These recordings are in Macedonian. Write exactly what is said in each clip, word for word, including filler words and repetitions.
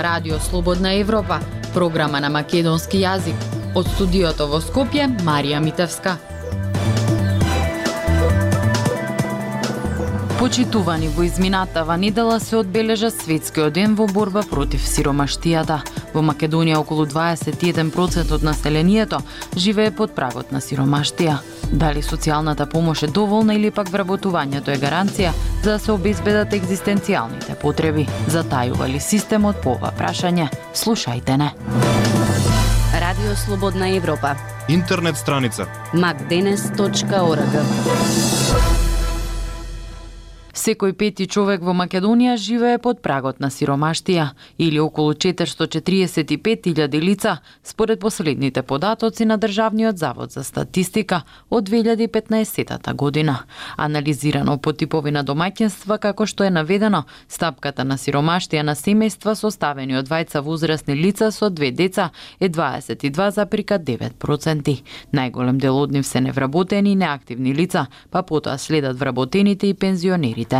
Радио Слободна Европа, програма на македонски јазик. Од студиото во Скопје, Марија Митевска. Почитувани во изминатава недела се одбележа светскиот ден во борба против сиромаштијата. Во Македонија околу дваесет и еден проценти од населението живее под прагот на сиромаштија. Дали социјалната помош е доволна или пак вработувањето е гаранција за да се обезбедат екзистенцијалните потреби? Затајува ли системот по ова прашање? Слушајте не. Радио Слободна Европа. Интернет страница макденес точка орг. Секој пети човек во Македонија живее под прагот на сиромаштија, или околу четиристотини четиридесет и пет илјади лица, според последните податоци на Државниот завод за статистика од две илјади и петнаесетата година. Анализирано по типови на домаќинства, како што е наведено, стапката на сиромаштија на семејства составени од двајца возрастни лица со две деца е дваесет и два зарез девет проценти. Најголем дел од нив се невработени и неактивни лица, па потоа следат вработените и пензионерите.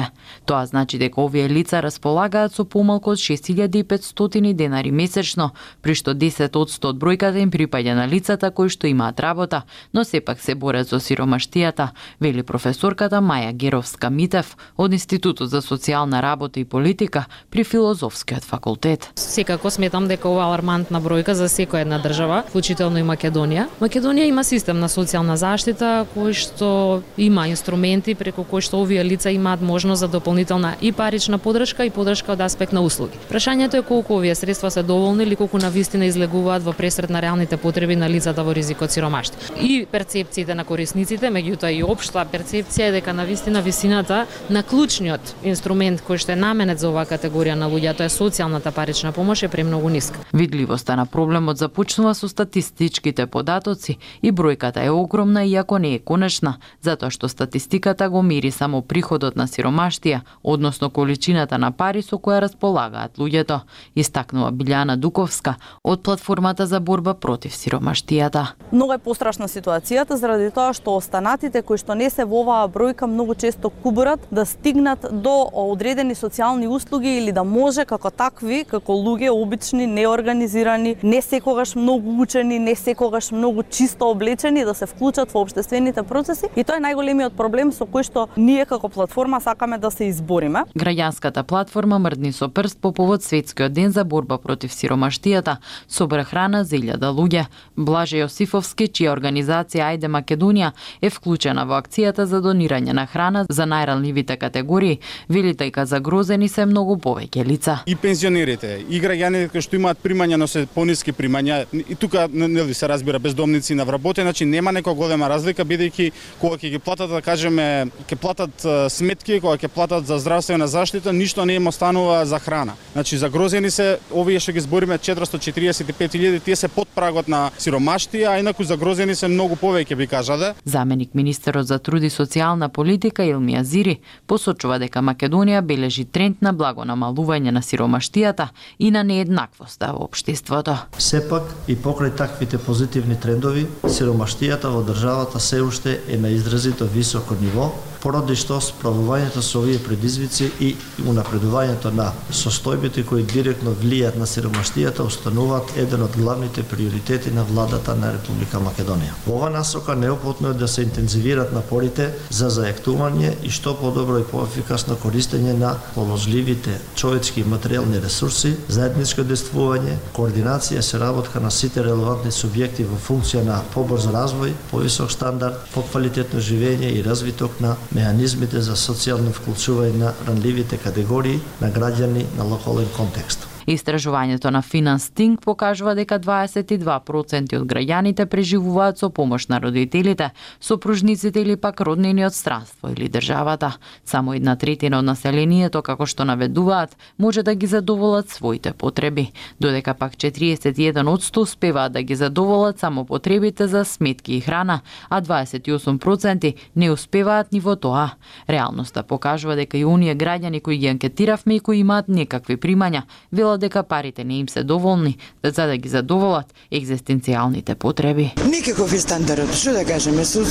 Тоа значи дека овие лица располагаат со помалку од шест илјади и петстотини денари месечно, при што десет одсто од бројката им припаѓа на лицата кои што имаат работа, но сепак се борат со сиромаштијата, вели професорката Маја Геровска-Митев од Институтот за социјална работа и политика при Филозофскиот факултет. Секако сметам дека ова алармантна бројка за секоја една држава, вклучително и Македонија. Македонија има систем на социјална заштита кој што има инструменти преку кои што овие лица имаат можност за дополнителна и парична подршка и подршка од аспект на услуги. Прашањето е колку овие средства се доволни или колку навистина излегуваат во пресред на реалните потреби на лицата во ризик од сиромаштво. И перцепциите на корисниците, меѓутоа и општа перцепција е дека навистина висината на клучниот инструмент кој што е наменет за оваа категорија на луѓе, тоа е социјалната парична помош, е премногу ниска. Видливоста на проблемот започнува со статистичките податоци и бројката е огромна иако не е конечна, затоа што статистиката го мери само приходот на сиромаштија, односно количината на пари со која располагаат луѓето, истакнува Билјана Дуковска од платформата за борба против сиромаштијата. Многу е пострашна ситуацијата заради тоа што останатите кои што не се во оваа бројка многу често кубурат да стигнат до одредени социјални услуги или да може како такви, како луѓе обични, неорганизирани, не секогаш многу учени, не секогаш многу чисто облечени да се вклучат во општествените процеси и тоа е најголемиот проблем со кој што ние како платформа сакаме да се избориме. Граѓанската платформа мрдни со прст по повод светскиот ден за борба против сиромаштијата, собра храна за илјада луѓе. Блаже Јосифовски, чија организација Ајде Македонија е вклучена во акцијата за донирање на храна за најранливите категории, вели дека загрозени се многу повеќе лица. И пензионерите, и граѓаните кои што имаат примања, но се пониски примања, и тука нели се разбира бездомници на вработени, значи нема некоја голема разлика бидејќи кога ќе ги платат, да кажеме, ќе платат сметки, кога ќе платат за здравствена заштита, ништо не им останува за храна. Значи загрозени се овие што ги збориме четиристотини четиридесет и пет илјади, тие се под прагот на сиромаштија, а инаку загрозени се многу повеќе, би кажале. Заменик министерот за труд и социјална политика Илмија Зири посочува дека Македонија бележи тренд на благо намалување на сиромаштијата и на нееднаквоста во општеството. Сепак и покрај таквите позитивни трендови, сиромаштијата во државата се уште е на изразито високо ниво, поради што справувањето со овие предизвици и унапредувањето на состојбите кои директно влијаат на сиромаштијата остануваат еден од главните приоритети на владата на Република Македонија. Во ова насока неопходно е да се интензивираат напорите за зајактување и што подобро и поефикасно користење на положливите човечки и материјални ресурси, заедничко действување, координација и соработка на сите релевантни субјекти во функција на побрз развој, повисок стандард, поквалитетно живење и развиток на механизмите за социјално вклучување на ранливите категории на граѓани на локален контекст. Истражувањето на Финанстинг покажува дека дваесет и два проценти од граѓаните преживуваат со помош на родителите, сопружниците или пак роднини од странство или државата. Само една третина од населението, како што наведуваат, може да ги задоволат своите потреби, додека пак четиристотини и еден одсто успеваат да ги задоволат само потребите за сметки и храна, а дваесет и осум проценти не успеваат ни во тоа. Реалноста покажува дека и оние граѓани кои ги анкетиравме и кои имаат некакви примања, велат дека парите не им се доволни за да ги задоволат екзистенцијалните потреби. Никаков е стандард, што да кажеме, со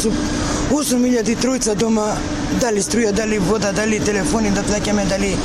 осум илјади тројца дома, дали струја, дали вода, дали телефони да плаќаме, дали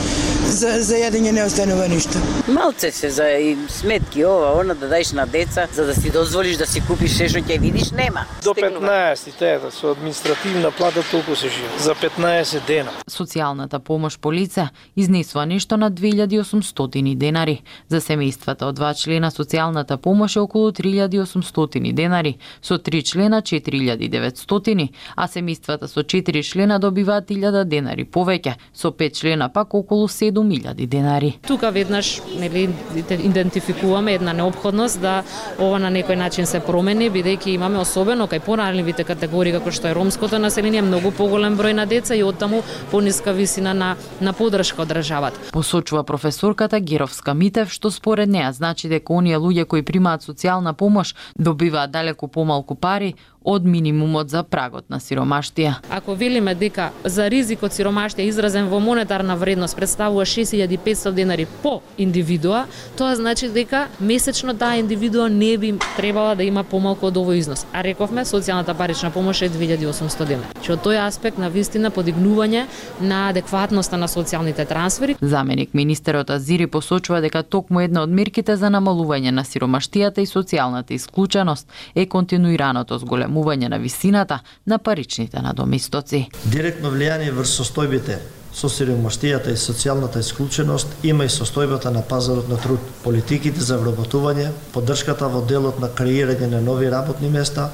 За, за јадење не останува ништо. Малце се за и сметки, ова, она да даеш на деца, за да си дозволиш да си купиш се што ќе видиш, нема. До петнаесет, тета, со административна плата толку се живе. За петнаесет дена. Социјалната помош по лице изнесува нешто на две илјади и осумстотини денари. За семејствата од два члена социјалната помош е околу три илјади и осумстотини денари, со три члена четири илјади и деветстотини, а семејствата со четири члена добиваат илјада денари повеќе, со пет члена пак околу седум илјади денари. Тука веднаш нели идентификуваме една неопходност да ова на некој начин се промени, бидејќи имаме особено кај поранливите категории како што е ромското население многу поголем број на деца и оттаму пониска висина на на поддршка од државата. Посочува професорката Геровска-Митев, што според неа значи дека оние луѓе кои примаат социјална помош добиваат далеку помалку пари од минимумот за прагот на сиромаштија. Ако велиме дека за ризик од сиромаштија изразен во монетарна вредност представува шест илјади и петстотини денари по индивидуа, тоа значи дека месечно таа индивидуа не би требала да има помалку од овој износ. А рековме социјалната парична помош е две илјади и осумстотини денари. Че од тој аспект на вистина подигнување на адекватноста на социјалните трансфери. Заменик министерот Азири посочува дека токму една од мерките за намалување на сиромаштијата и социјалната исклученост е континуираното зголемување на висината на паричните надомистоци. Директно влијание врз состојбите со сиромаштијата и социјалната исклученост има и состојбата на пазарот на труд, политиките за вработување, поддршката во делот на креирање на нови работни места,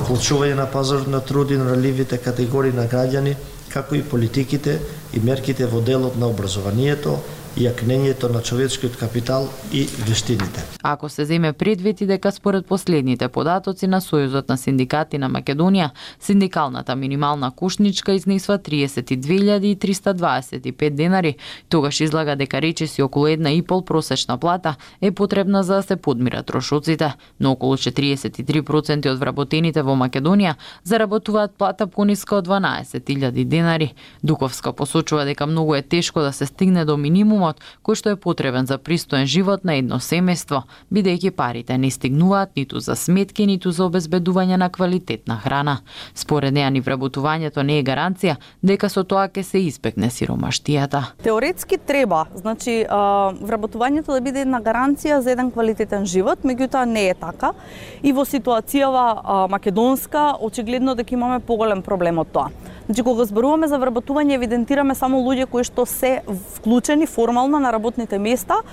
вклучување на пазарот на труд и на ranljivите категории на граѓани, како и политиките и мерките во делот на образованието и јакнењето на човечкиот капитал и вештините. Ако се земе предвид и дека според последните податоци на Сојузот на синдикати на Македонија, синдикалната минимална кушничка изнесува триесет и две илјади и триста дваесет и пет денари, тогаш излага дека речиси околу една и пол просечна плата е потребна за да се подмират трошоците, но околу четириесет и три проценти од вработените во Македонија заработуваат плата пониска од дванаесет илјади денари. Дуковска посочува дека многу е тешко да се стигне до минимумот кој што е потребен за пристоен живот на едно семејство, бидејќи парите не стигнуваат ниту за сметки, ниту за обезбедување на квалитетна храна. Според неа ни вработувањето не е гаранција дека со тоа ќе се избегне сиромаштијата. Теоретски треба, значи вработувањето да биде една гаранција за еден квалитетен живот, меѓутоа не е така. И во ситуацијава македонска очигледно дека имаме поголем проблем од тоа. Значи, кога зборуваме за вработување, евидентираме само луѓе кои што се вклучени формално на работните места,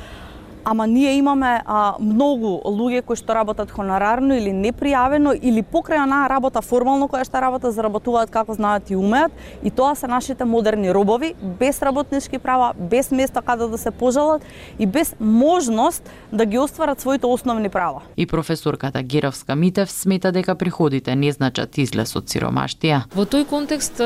ама ние имаме а, многу луѓе кои што работат хонорарно или непријавено или покрај онаа работа формално која што работа заработуваат како знаат и умеат, и тоа се нашите модерни робови без работнички права, без место каде да се пожалат и без можност да ги остварат своите основни права. И професорката Геровска-Митев смета дека приходите не значат излез од сиромаштија. Во тој контекст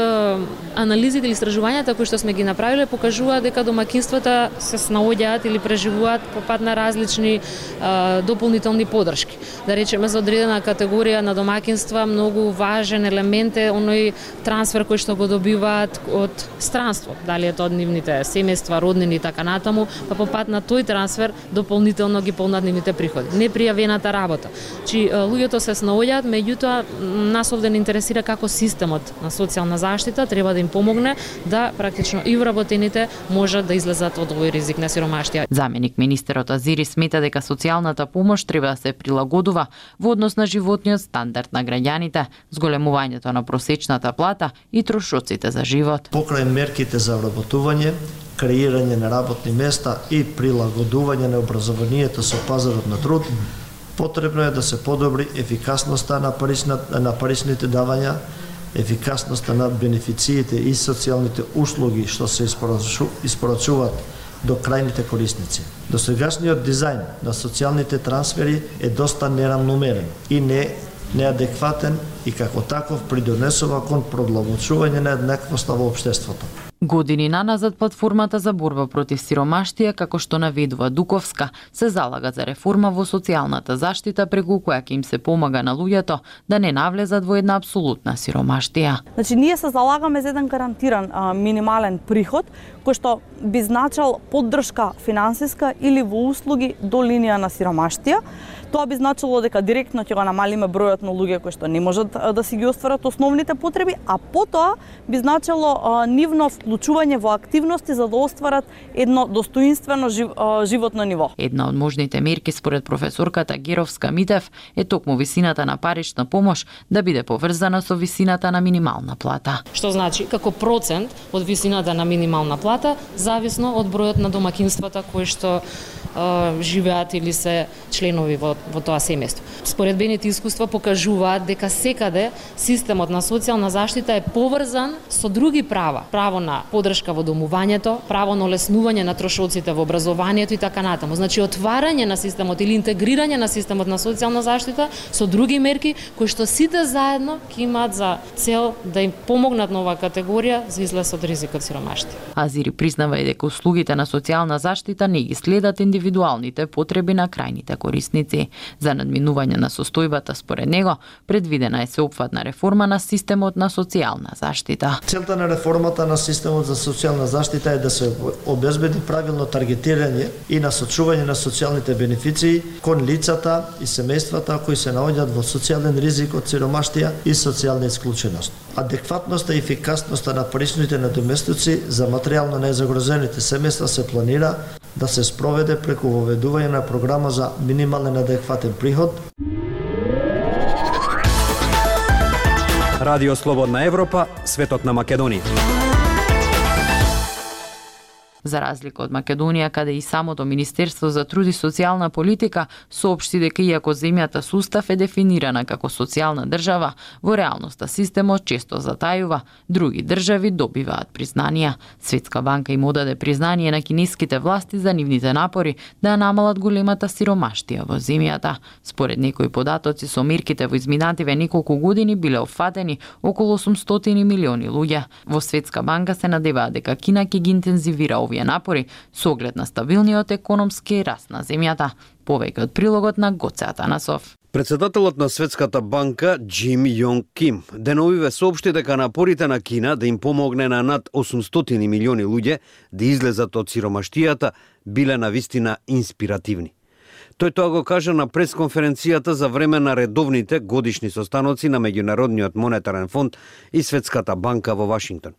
анализите или истражувањата кои што сме ги направиле покажуваат дека домаќинствата се снаоѓаат или преживуваат пат на различни а, дополнителни поддршки. Да речеме за одредена категорија на домаќинства многу важен елемент е оној трансфер кој што го добиваат од странство, дали е тоа од нивните семејства, роднини и така натаму, па по пат на тој трансфер дополнително ги полнат нивните приходи. Непријавената работа. Чи луѓето се снаоѓаат, меѓутоа нас овде не интересира како системот на социјална заштита треба да им помогне да практично и вработените можат да излезат од овој ризик на сиромаштија. Заменик министерот Азири смета дека социјалната помош треба да се прилагодува во однос на животниот стандард на граѓаните, зголемувањето на просечната плата и трошоците за живот. Покрај мерките за вработување, креирање на работни места и прилагодување на образованието со пазарот на труд, потребно е да се подобри ефикасноста на паричната, на паричните давања, ефикасноста на бенефициите и социјалните услуги што се испорачуваат до крајните корисници. Досегашниот дизајн на социјалните трансфери е доста неравномерен и не неадекватен и како таков придонесува кон продолжување на еднаквоста во општеството. Години наназад платформата за борба против сиромаштија, како што наведува Дуковска, се залага за реформа во социјалната заштита преку која ќе им се помага на луѓето да не навлезат во една апсолутна сиромаштија. Значи ние се залагаме за еден гарантиран а, минимален приход кој што би значал поддршка финансиска или во услуги до линија на сиромаштија. Тоа би значило дека директно ќе го намалиме бројот на луѓе кои што не можат да си ги остварат основните потреби, а потоа би значило а, нивно вклучување во активности за да остварат едно достоинствено жив, животно ниво. Една од можните мерки според професорката Геровска-Митев е токму висината на парична помош да биде поврзана со висината на минимална плата. Што значи како процент од висината на минимална плата зависно од бројот на домакинствата кои што е, живеат или се членови во, во тоа семејство. Споредбените искуства покажуваат дека секаде системот на социјална заштита е поврзан со други права. Право на поддршка во домувањето, право на олеснување на трошоците во образованието и така натаму. Значи отварање на системот или интегрирање на системот на социјална заштита со други мерки кои што сите заедно ќе имаат за цел да им помогнат на оваа категорија за излез од ризикот сиромаштија. Азири признава и дека услугите на социјална заштита не ги следат индивидуалните потреби на крајните корисници. За надминување на состојбата според него предвидена е сеопфатна реформа на системот на социјална заштита. Целта на реформата на системот за социјална заштита е да се обезбеди правилно таргетирање и насочување на социјалните бенефиции кон лицата и семејствата кои се наоѓаат во социјален ризик од сиромаштија и социјална исклученост. Адекватноста и ефикасноста на паричните надоместоци за материјално најзагрозените семејства се планира да се спроведе преку воведување на програма за минимален адекватен приход. Радио Слободна Европа, светот на Македонија. За разлика од Македонија, каде и самото Министерство за труд и социјална политика соопшти дека иако земјата со устав е дефинирана како социјална држава, во реалноста системот често затајува, други држави добиваат признанија. Светска банка им одаде признание на кинеските власти за нивните напори да намалат големата сиромаштија во земјата. Според некои податоци со мерките во изминативе неколку години биле опфатени околу осумстотини милиони луѓе. Во Светска банка се надеваат дека Кина ќе ги интензивира овие напори со оглед на стабилниот економски раст на земјата. Повеќе од прилогот на Гоце Атанасов. Председателот на Светската банка Џим Јонг Ким деновиве соопшти дека напорите на Кина да им помогне на над осумстотини милиони луѓе да излезат од сиромаштијата биле навистина инспиративни. Тој тоа го кажа на пресконференцијата за време на редовните годишни состаноци на Меѓународниот монетарен фонд и Светската банка во Вашингтон.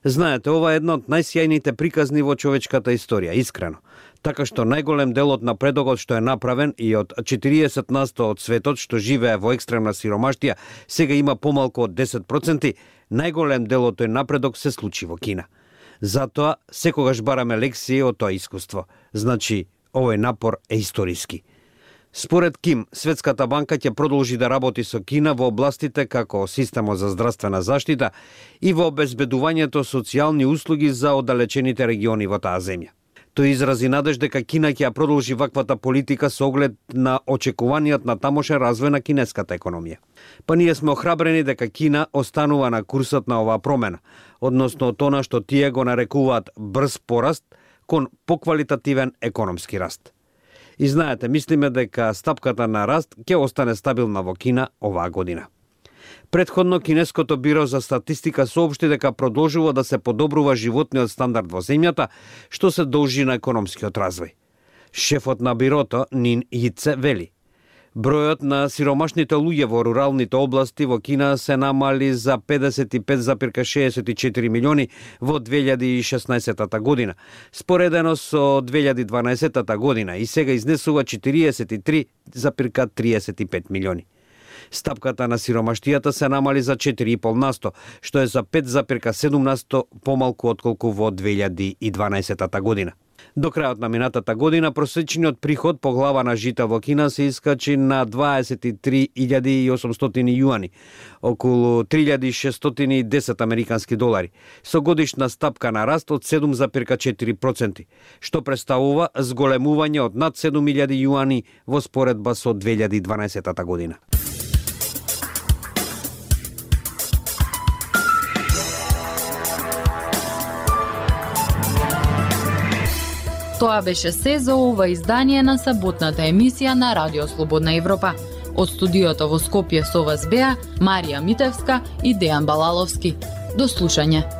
Знаете, ова е една од најсјајните приказни во човечката историја, искрено. Така што најголем дел од напредокот што е направен и од четириесет на сто од светот што живее во екстремна сиромаштија сега има помалку од десет проценти, најголем дел од тој напредок се случи во Кина. Затоа секогаш бараме лекции од тоа искуство. Значи, овој напор е историски. Според Ким, Светската банка ќе продолжи да работи со Кина во областите како системот за здравствена заштита и во обезбедувањето социјални услуги за оддалечените региони во таа земја. Тој изрази надеж дека Кина ќе ја продолжи ваквата политика со оглед на очекуваниот на тамошен развој на кинеската економија. Па ние сме охрабрени дека Кина останува на курсот на оваа промена, односно тоа што тие го нарекуваат брз пораст кон поквалитативен економски раст. И знаете, мислиме дека стапката на раст ќе остане стабилна во Кина оваа година. Претходно, Кинеското биро за статистика соопшти дека продолжува да се подобрува животниот стандард во земјата, што се должи на економскиот развој. Шефот на бирото, Нин Јице, вели: бројот на сиромашните луѓе во руралните области во Кина се намали за педесет и пет зарез шеесет и четири милиони во две илјади и шеснаесетта година, споредено со две илјади и дванаесетта година и сега изнесува четириесет и три зарез триесет и пет милиони. Стапката на сиромаштијата се намали за четири и пол на сто, што е за пет зарез седум на сто помалку отколку во две илјади и дванаесетта година. До крајот на минатата година просечниот приход по глава на жита во Кина се искачи на дваесет и три илјади и осумстотини јуани, околу три илјади и шестстотини и десет американски долари, со годишна стапка на раст од седум зарез четири проценти, што представува зголемување од над седум илјади јуани во споредба со две илјади и дванаесетта година. Тоа беше се за ова издание на саботната емисија на Радио Слободна Европа. Од студиото во Скопје со вас беа Марија Митевска и Дејан Балаловски. До слушање.